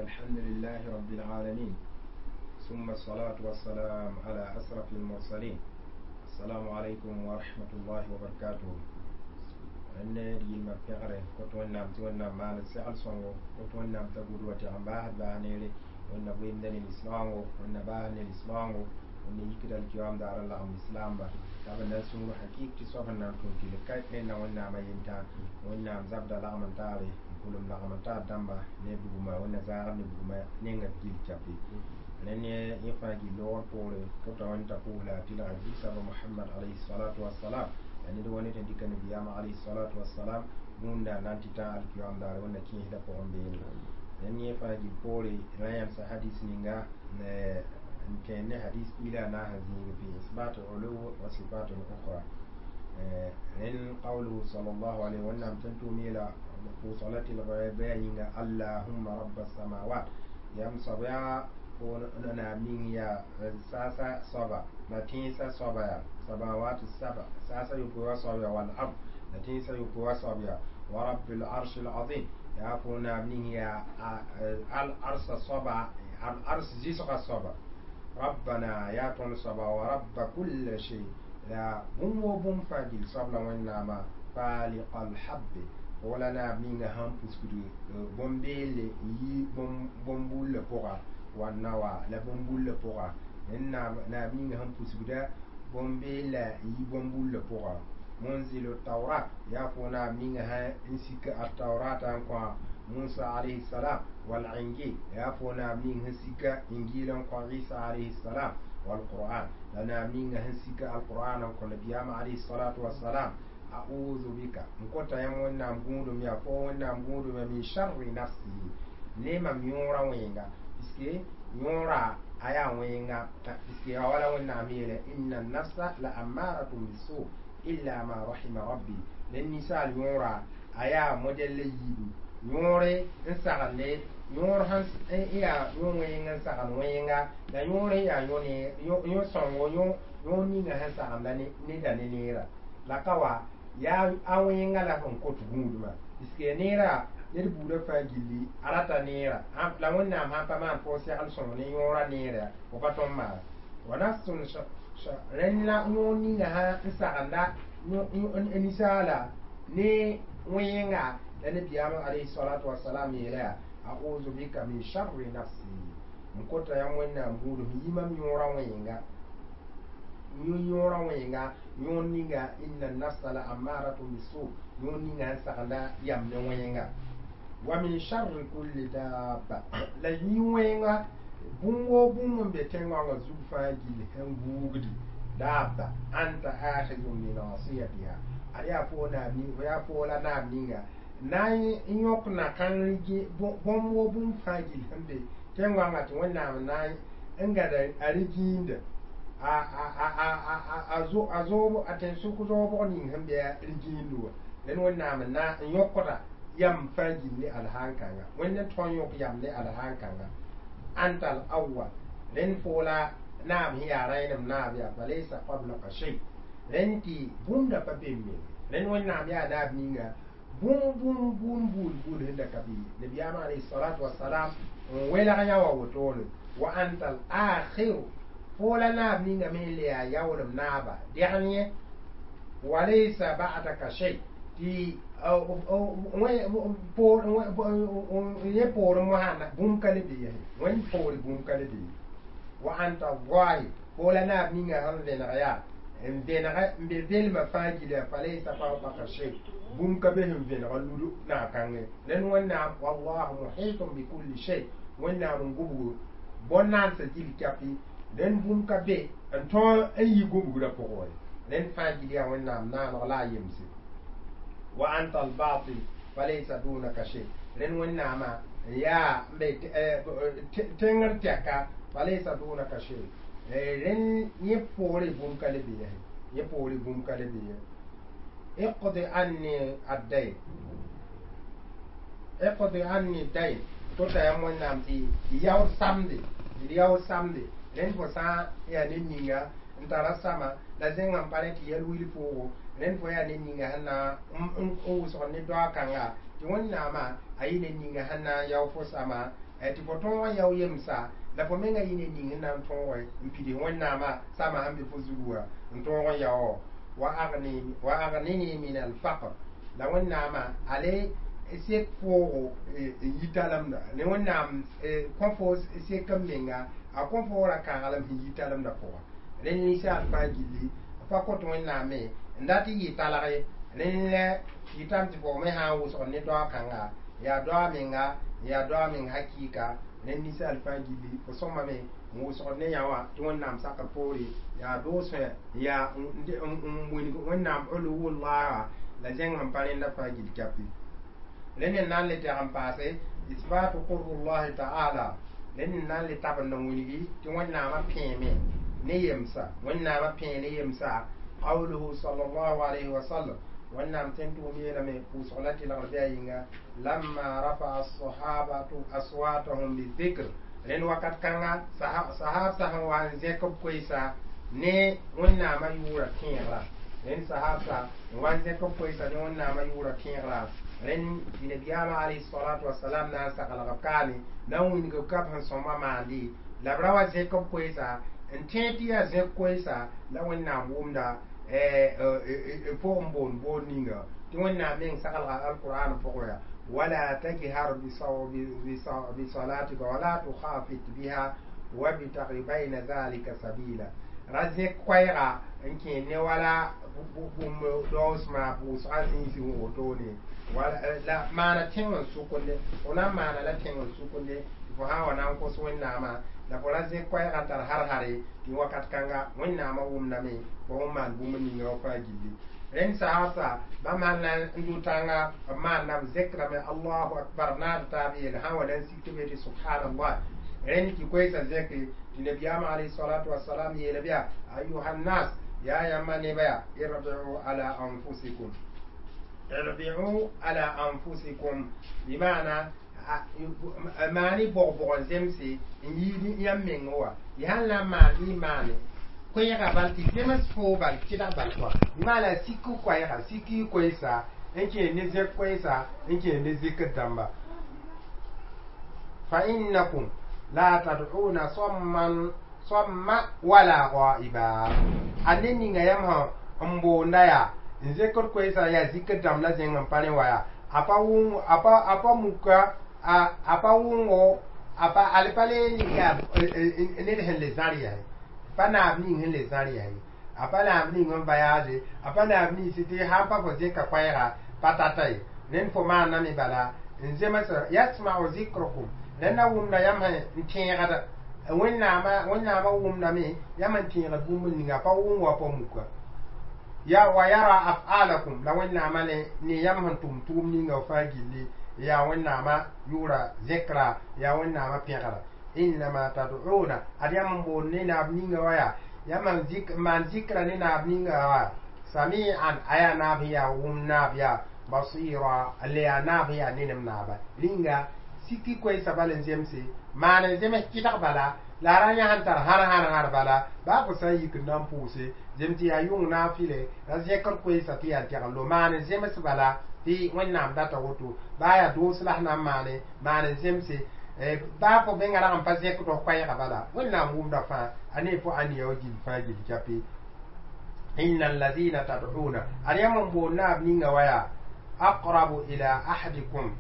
الحمد لله رب العالمين ثم الصلاة والسلام على أشرف المرسلين السلام عليكم ورحمة الله وبركاته n yilmã pẽgre kot wẽnnaam tɩ wẽnnaam maan segl sõngo kot wẽnnaam t'a gʋd wa tɩg n baasd baa neere wẽnna goeemda ne lislaoongo wẽnna baasd ne lislaoongo wẽnna yikd alkiyoam daar n lagem lislaamba t'a b na n sũur hakɩk tɩ soab sẽn na n tʋm tɩ ka rẽnna wẽnnaamã yentã wẽnnaam zabda lagm n taare n pʋlem lagm n taar dãmba ne bugmã wẽnna zãagd ne bugmã nenga b gil cape rẽnd yẽ fãa gil loogr poore kota wẽnd t'a pʋʋs la a tɩlga zig-soaba Mohamad alayhi salatu wassalam la ned wa ned sẽn dɩka nabiyaamã alayhi salatu wassalam gũunda n na n tɩ tã alkiyoam daare wẽnna kẽesdã pʋgẽ beene rẽnd yẽ fãa gil poore ra yãmsa hadis ninga n tẽed ne hadis piila a naas n zĩig fi isbat ulu wa sifat ukhra rẽnd qawluhu sallallahu alayhi wẽnnaam tẽn tʋʋm yeela pʋʋsg la tɩlg bɩ yĩnga allahumma rabba samawat yam soab yaa naam ning yaa saasa soaba la tẽnsã soaba yaa samawat saba saasa yopoe wa soab yaa wal ard la tẽnsã yopoe wa soab yaa wa rabbil arsh al azim yaa fo naam ning yaa al arsa soaba al ars zɩsga soaba rabbana yaa tõnd soaba wa rabba kulla shay la bũmb wo bũmb fãa gil soab la wẽnnaamã faliqa alhabbe wala naam ninga sãn pusgd bõn-beelle n yi bõn-bullã pʋga wa nawa la bõn-bullã pʋga naam ninga sẽn pusgda bõn-beella n yi bõn-bullã pʋga munzilu tawrat yaa fo naam ninga sã n sik a taurata n kõ Musa alayhi salam wal injil yaa fo naam ning sẽn sika injil n kõ Isa alayhi salam wal qur'an la naam ninga sẽn sika alqur'an n kõ nabiyaamã alayhi salatu wassalam a'udhu bika n kota yãmb wẽnnaam gũudum yaa fo wẽnnaam gũudum ya min sharri nafsi ne mam yõorã wẽnga puisque yõora a yaa wẽnga puisque ya wala wẽnnaam yeele inna nafsa la ammaratun bisu illa ma rahima rabbi ne ninsaal yõora a yaa modɛl la yiibu yõore n sagende yõor sãn yaa yõ wẽng n sagend wẽnga la yõor n yaa yõ sõngo yõor ninga sẽn sagenda neda ne neera la ka wa yaa a wẽnga la sẽn kot gũudmã puisque neera ned buudã fãa gilli a rata neera la wẽnnaam sãn pa maan fo segl sõng ne yõora neera fo pa tõnd maan wa nafsun rẽnd la yõor ninga sã n sagenda ninsaala ne wẽnga la nabiyaamã alayhi salatu wasalam yeela yaa a'udhu bika min sharri nafsi n kota yãmb wẽnnaam gũudum yi mam yõorã wẽnga yõorã wẽnga yõor ninga inna nafsa la ammaratun bisu yõor ninga sẽn sagenda yam ne wẽnga wa min sharri kulli dabba la yĩ wẽnga bũmb woo bũmb n be tẽn-goangã zug fãa gill sẽn guugdi dabba anta akhizun bi nasiyatiha ad yaa fo naam ning fo yaa fo la naam ninga na n yõk na-kãngr bũmb woo bũmb fãa gill sẽn be tẽn-goangã tɩ wẽnnaam na n gãda a rẽ-gĩinda a zoob a tẽn-sʋk zoobg ning sẽn be rẽ-gĩindi wã rẽnd wẽnnaam na n yõkda yam fãa gill ne alhaan kãnga wẽnd n tõe n yõk yam ne alhaan kãnga anta al awwal rẽnd fo la naam sẽn yaa rẽenem naab yaa falaysa qablaka shay rẽnd tɩ bũmb da pa be menge rẽnd wẽnnaam yaa naab ninga bũmb bũmb bũmb buud buud sẽn da ka be nabiyaamã alayhi salatu wasalam n welg yã wa wotone wa anta al akhiru fo la naab ninga me le yaa yaoolem naaba degn yẽ walaysa ba'daka shay tɩ yẽ poorẽ mosã bũmb ka le be ye wẽnd poore bũmb ka le be wa anta zahir fo la naab ninga sẽn vẽneg yaa n vẽneg n be velmã fãa gila falaysa fawqaka shay bũmb ka be sẽn vẽneg n lud naag-kãngẽ rẽnd wẽnnaam wallahu muhitun bikulli shay wẽnnaam n gubgo bõn-naansã gil kapi rẽnd bũmb ka be n tõe n yi gubgrã pʋgẽ wã rẽnd fãa gil yaa wẽnnaam naaneg la a yemse wa anta albatin falaysa dunaka shay rẽnd wẽnnaamã yaa n be tẽngr tɛka falaysa dunaka shay rẽnd yẽ poore bũmb ka le be yẽ poore bũmb ka le be ye iqdi anni addayn iqdi anni dayn tota yãmb wẽnnaam tɩ yaood samde d yaood samde rẽnd fo sã n yaa ned ninga n tara sama la zẽngã n pa rẽ tɩ yɛl wil foogo rẽnd fo yaa ned ninga sẽn na n wʋsg ne doa kãnga tɩ wẽnnaamã a yɩ ned ninga sẽn na n yao fo sama. Tɩ fo tõog n yao yemsa la fo menga yɩ ne ning n na n tõoge n pid Wẽnnaamã sama sẽn be fo zugu wã n tõog n yao. Wa aghnini min alfaqr, la Wẽnnaamã ale sek foogo n yi talemda ne Wẽnnaam kõ fo sek n menga, a kõ fo ra kãaglem sẽn yi talemda pʋga. Rẽnd ninsaal fãa gilli pa kõt Wẽnnaame n dat n yɩ talge. Rẽnd la yɩtame tɩ fo me sã n wʋsg ne doa kãnga, yaa doa menga, yaa doa meng hakɩɩka. Rẽnd ninsaal fãa gilli fo sõmame n wʋsgd ne yã wã tɩ Wẽnnaam sakr poore yaa doosẽ yaa n wilg Wẽnnaam uluwullaha la zẽng sẽn pa rẽnda fãa gill kapi. Rẽnd n na n le tɛg n paase isbatu qurbullahi taala. Rẽnd n na n le tabend n wilgi tɩ Wẽnnaamã pẽeme ne yemsa, Wẽnnaamã pẽe ne yemsa. Qawluhu sallallahu alayhi wa sallam, Wẽnnaam tẽn tʋʋm yeelame pʋʋsg la tɩlgr bɩ a yĩnga, lamma rafa'a as-sahabatu aswatahum bidhikr. Rẽnd wakat kãnga sahab sã n wa n zẽk b koɛɛsa ne Wẽnnaamã yʋʋra tẽegra. Rẽnd sahab sa n wa n zẽk b koɛɛsa ne Wẽnnaamã yʋʋra tẽegra. Rẽnd tɩ nabiyaamã alayhi salatu wasalam na n saglg b kaame na n wilg b kab sẽn sõma maandi la b ra wa zẽk b koɛɛsa n tẽeg tɩ yaa zẽk koɛɛsa la Wẽnnaam wʋmda pʋgẽ boond boond ninga tɩ Wẽnnaam meng saglga alqur'an pʋgẽ yaa wala tajhar bisalatika wala tukhafit biha wabtaghi bayna dhalika sabila. Ra zẽk koɛɛga n kẽ ne wala bũmb daoosmã pʋʋsgã zĩisi wotone la maana tẽng n sʋkende, fo na n maana la tẽng n sʋkende tɩ fo sã n wa na n kos Wẽnnaamã la fo ra zẽk koɛɛgã tar har-hare tɩ wakat kãnga Wẽnnaamã wʋmdame fo sẽn maan bũmb ninga wã fãa gilli. Rẽnd sahabsa bãmb sãn na n dʋ tãnga b maanda b zekrame allahu akbar naad taab yeel sã n wa na n sik tɩ b yetɩ subhanallah. Rẽnd tɩ koɛɛsã zẽke tɩ nabiyaamã alayhi salatu wasalam yeela bɩa ayuha nnas, yaa yãmba nebã yaa irbi'u ala anfusikum, irbi'u ala anfusikum, bɩmaana maani bog-bog n zemse n yiid yãmb meng wa y sãn na n maan bɩ y maane koɛɛga bal tɩ zems foo bal kɩdg bal koa bɩmaana sik koɛɛga sik y koɛɛsa n kẽer ne zẽk koɛɛsa n kẽer ne zikr dãmba. Fa innakum la tad'una samman samma wala ghaiba. A ne ninga yãmb sã n boonda yaa n zekd koɛɛsa yaa zikr dãmb la zẽng n pa rẽ wa yaa a pa wʋng a pa muka a pa wʋngo a pa al pa le yaa ned sẽn le zãr yaa pa naab ning sẽn le zãr yaa a pa naab ning n voyage a pa naab nins tɩ sãn pa fo zẽka koɛɛga pa tata ye. Rẽnd fo maaname bala n zems yasma'u zikrukum, rẽnd na wʋmda yãmb sẽn n tẽegda Wẽnnaamã wʋmdame yãmb n tẽegd bũmb ninga pa wʋng wa pa muka ya wa yara af'alakum, la Wẽnnaamã ne yãmb sẽn tʋm tʋʋm ninga fãa gilli yaa Wẽnnaamã yʋʋra zẽkra yaa Wẽnnaamã pẽgra. Innama tad'una ad yãmb n boond ne naab ninga wa yaa yãmb n maan zikra ne naab ninga wa sami'an a yaa naab sẽn yaa wʋm naab yaa basira le yaa naab sẽn yaa nenem naaba. Rĩnga siki koɛɛsã bal n zemse maan n zems kɩdg bala la a ra yã sẽn tar har-har-har bala baa fo sã n yik n na n pʋʋse zem tɩ yaa yʋng naafɩle ra zẽkd koɛɛsã tɩ yaa tɛgl lo maan n zems bala tɩ Wẽnnaam data woto baa yaa doos la sẽn na n maane maan n zemse baa fo menga rag n pa zẽkd f koɛɛga bala Wẽnnaam wʋmda fãa a ne fo ãnea wa gill fãa gill kape. Inna alladhina tad'una ad yãmb n boond naab ninga wa yaa aqrabu ila ahadikum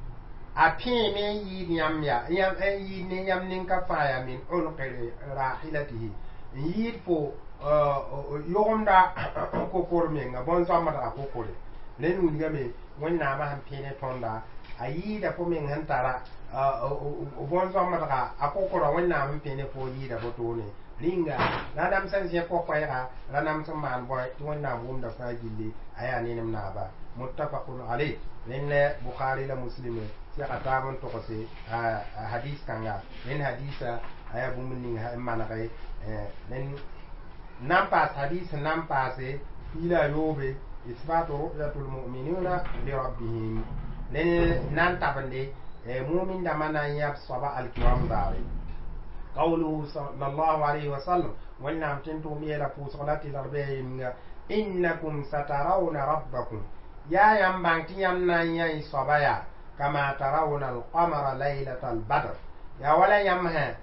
a pẽeme n yɩɩd yãmb yaa n yɩɩd ne yãmb nin-ka fãa yaa min unqi rahilatihi n yɩɩd fo yʋgemda kokor menga bõn-zoamdga kokore. Rẽnd wilgame Wẽnnaamã sẽn pẽ ne tõnda a yɩɩda fo meng sẽn tara bõn-zoamdga a kokora Wẽnnaam sẽn pẽ ne fo yɩɩda botone. Rĩnga ra nams n zẽk fo koɛɛga ra nams n maan bõe tɩ Wẽnnaam wʋmda fãa gilli a yaa nenem naaba. Muttafaqun alayh. Rẽnd Bukhari la Muslim sɛga taab n togse hadis kãnga. Rẽnd hadisa a yaa bũmb ning n manege rẽnd nan paas hadis nan paase piila yoobe isbatu ru'yatul mu'minina li rabbihim. Rẽnd nan tabende mumin dãmbã na n yãb soaba alkiyam daare. Qawluhu sallallahu alayhi wa sallam Wẽnnaam tẽn tʋʋm yeela pʋʋsg la tɩlg bɩ a yemnga innakum satarawna rabbakum yaa yãmb bãng tɩ yãmb na n yã y soaba yaa kama tarawna alqamara laylatal badr Yaa wala yãmb sã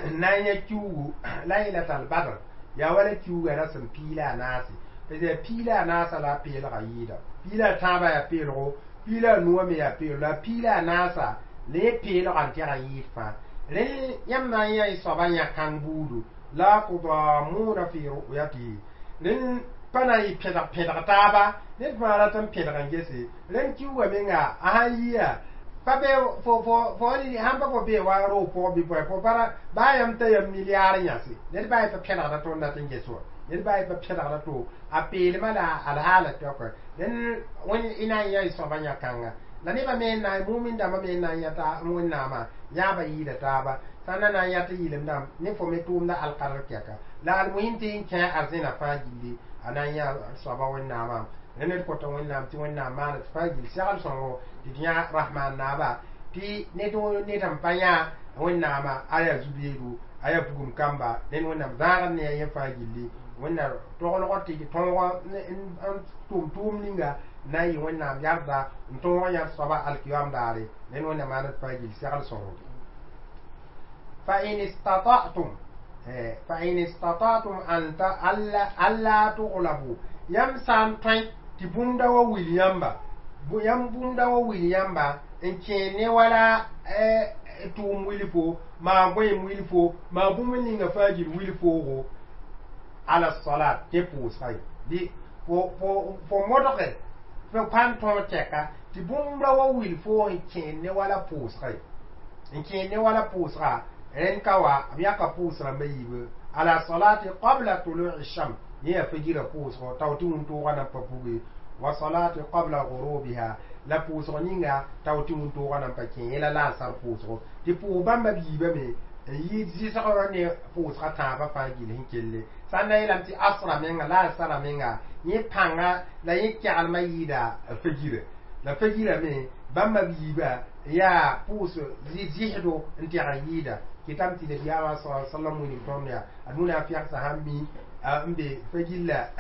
n na n yã kiuugu laylat albadr, yaa wala kiuugã ra sẽn piig la a naase, parce yaa piig la a naasã la a peelgã yɩɩda. Piig la a tãabã yaa peelgo, piig la a nuwã me yaa peelgo, la piig la a naasa la yẽ peelgã n tɛg n yɩɩd fãa. Rẽ yãmb na n yã y soabã yã-kãng buudu la tudamuna fi ru'yatihi, rẽnd pa na n yɩ pẽdg pẽdg taaba, ned fãa rat n pẽdg n gese. Rẽnd kiuugã menga a sãn yiya pa be fo fo fo sãn pa fo bee wa roog pʋgẽ bɩ bõe fo bara baa yãmb t'a yam milliard yãse, ned baa pa pẽdgda tõnd dat n ges wã, ned baa pa pẽdgda to a peelmã la alhaala tɔka. Rẽnd y na n yã y soabã yã-kãnga la nebã me n na n mumin dãmbã me n na n yãta Wẽnnaamã yãaba yɩɩda taaba sã n na na n yã tɩ yɩlem dãmb ne fo me tʋʋmda alkadr kɛka la almuhim tɩ n kẽ arzẽna fãa gilli a na n yã soaba Wẽnnaamã. Rẽ ned kõta Wẽnnaam tɩ Wẽnnaam maana tɩ fãa gill segl sõngo tɩ d yã Rahman naaba, tɩ ned ned sẽn pa yã Wẽnnaamã a yaa zu-beedo, a yaa bugum kamba. Rẽnd Wẽnnaam zãagd ne a yẽ fãa gilli Wẽnna toglgr tɩ tõog n tʋm tʋʋm ninga na n yɩ Wẽnnaam yarda n tõog n yãd soaba alkiyam daare. Rẽnd Wẽnnaam maana tɩ fãa gill segl sõngo. Fa in istata'tum an ta alla tughlabu, yãmb sã n tõe tɩ bũmb da wa wil yãmba, yãmb bũmb da wa wil yãmba n kẽ ne wala tʋʋm wilfo, maa goeem wilfo, maa bũmb ninga fãa gill wilfoogo ala salat tɩ pʋʋsga ye bɩ fo modge fo pa n tõog tɛka tɩ bũmb ra wa wil foo n kẽen ne wala pʋʋsga ye, n kẽen ne wala pʋʋsga. Rẽnd ka wa b yãka pʋʋs rãmbã yiibu ala salati qabla tului shams, yẽ yaa fajira pʋʋsgo tao tɩ wũntʋʋgã nan pa puge, wa salati qabla ghurubiha, la pʋʋsg ninga tao tɩ wũntʋʋgã nan pa kẽ, yẽ la laasar pʋʋsgo tɩ pʋʋs bãmba b yiibame n yɩ zɩsgrã ne pʋʋsga tãabã fãa gill sẽn kelle. Sã n na yeelame tɩ asra menga laasara menga yẽ pãnga la yẽ kɛgelmã yɩɩda fajira, la fajira me bãmba b yiiba yaa pʋʋs zɩsdo n tɛg n yɩɩda. Kɩtame tɩ nabiyaamã sa sallam wilg tõnd yaa ad munafɩgsã sãn mi n be fagilla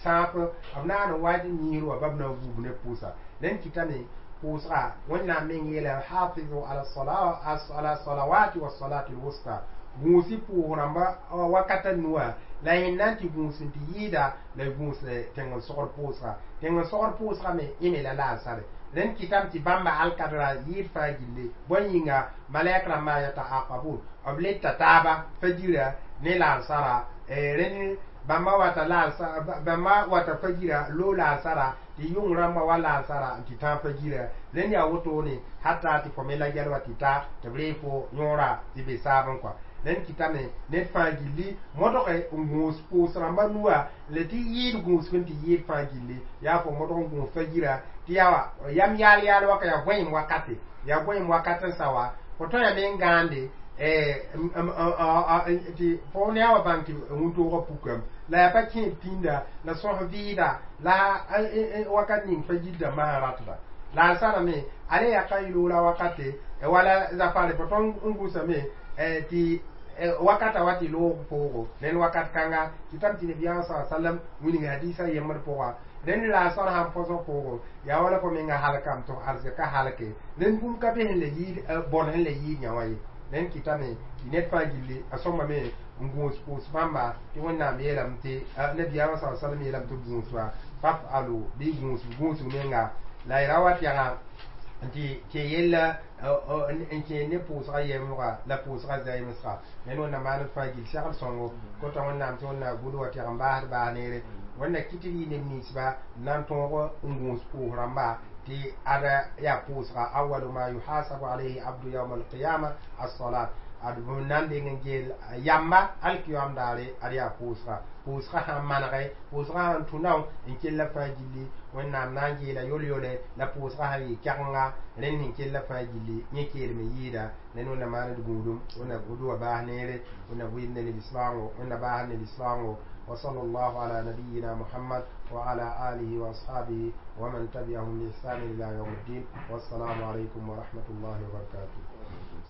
sãap b naan n wa niir wa bab na n vuub ne pʋʋsa. Rẽnd kɩtame pʋʋsga Wẽnnaam meng yeela hafizu ala salawati wa salati lwusta, gũusi pʋʋs rãmba wakata nuwã la yẽnd na n tɩ gũus n tɩ yɩɩda la gũus tẽng n sogr pʋʋsga, tẽng n sogr pʋʋsga me yẽ me la laansare. Rẽnd kɩtame tɩ bãmba alkadra yɩɩd fãa gilli bõe yĩnga malɛk rãmbã yata aqabun b le ta taaba fajira ne laansara. Rẽnd bãmba wata laansa, bãmba wata fajira lo laansara tɩ yʋng rãmbã wa laansara n tɩ tãag fajira. Rẽnd yaa wotone hata tɩ fo me la gɛl wa tɩ ta tɩ b ree fo yõora tɩ be saab n kɔa. Rẽnd kɩtame ned fãa gilli modge n gũus pʋʋs rãmbã nuwã la tɩ yɩɩd gũusg n tɩ yɩɩd fãa gilli yaa fo modg n gũus fajira tɩ yaa yam yaal yaal waka yaa goẽem wakate, yaa goẽem wakat n sa wa fo tõe me n gãande tɩ fo ne a wa bãng tɩ wũntʋʋgã pukame la yaa pa kẽed pĩnda la sõs vɩɩda la wakat ning fa gilda masã ratda la a sara me ale yaa ka yɩloola wakate wala zafare fo tõnd n gũsame tɩ wakata wa tɩ loog poogo. Rẽnd wakat kãnga tɩ tame tɩ nabiyaamã sa sallam wilg hadisa yembd pʋga. Rẽnd la a sar sãn põsg poogo yaa wala fo menga halkame tɩ arzɩk ka halke, rẽnd bũmb ka be sẽn la yɩɩd bõn sẽn la yɩɩd yã wã ye. Rẽnd kɩtame tɩ ned fãa gilli a sõmbame n gũus pʋʋs bãmba tɩ Wẽnnaam yeelame tɩ nabiyaamã sa sallam yeelame tɩ gũusba fafalu bɩ gũus gũusg menga la y ra wa tɛga tɩ kẽ yella n kẽ ne pʋʋsga yemsga la pʋʋsga zaɩmsga. Rẽnd Wẽnnaam maan d fãa gill segl sõngo kota Wẽnnaam tɩ Wẽnnaam gʋd wa tɛg n baasd baas neere. Wẽnna kɩ tɩ d yɩ neb ninsba n na n tõog n gũus pʋʋs rãmba tɩ ada yaa pʋʋsga awalu ma yuhasabu alayhi abdu yawma alqiyama as-salat, ad b na n deng n geel yamba alkiyam daare ad yaa pʋʋsga, pʋʋsga sãn manege, pʋʋsga sãn tũ nao n kella fãa gilli Wẽnnaam na n geela yol-yole la pʋʋsga sãn yɩ kɛgenga rẽnd sẽn kella fãa gilli yẽ keelem n yɩɩda. Rẽnd Wẽnnaam maan d gũudum, Wẽnna gũud wa baas neere, Wẽnna vɩɩm ne neb-islãango, Wẽnna baas neb-islãango. وصلى الله على نبينا محمد وعلى آله وأصحابه ومن تبعهم بإحسان إلى يوم الدين، والسلام عليكم ورحمة الله وبركاته.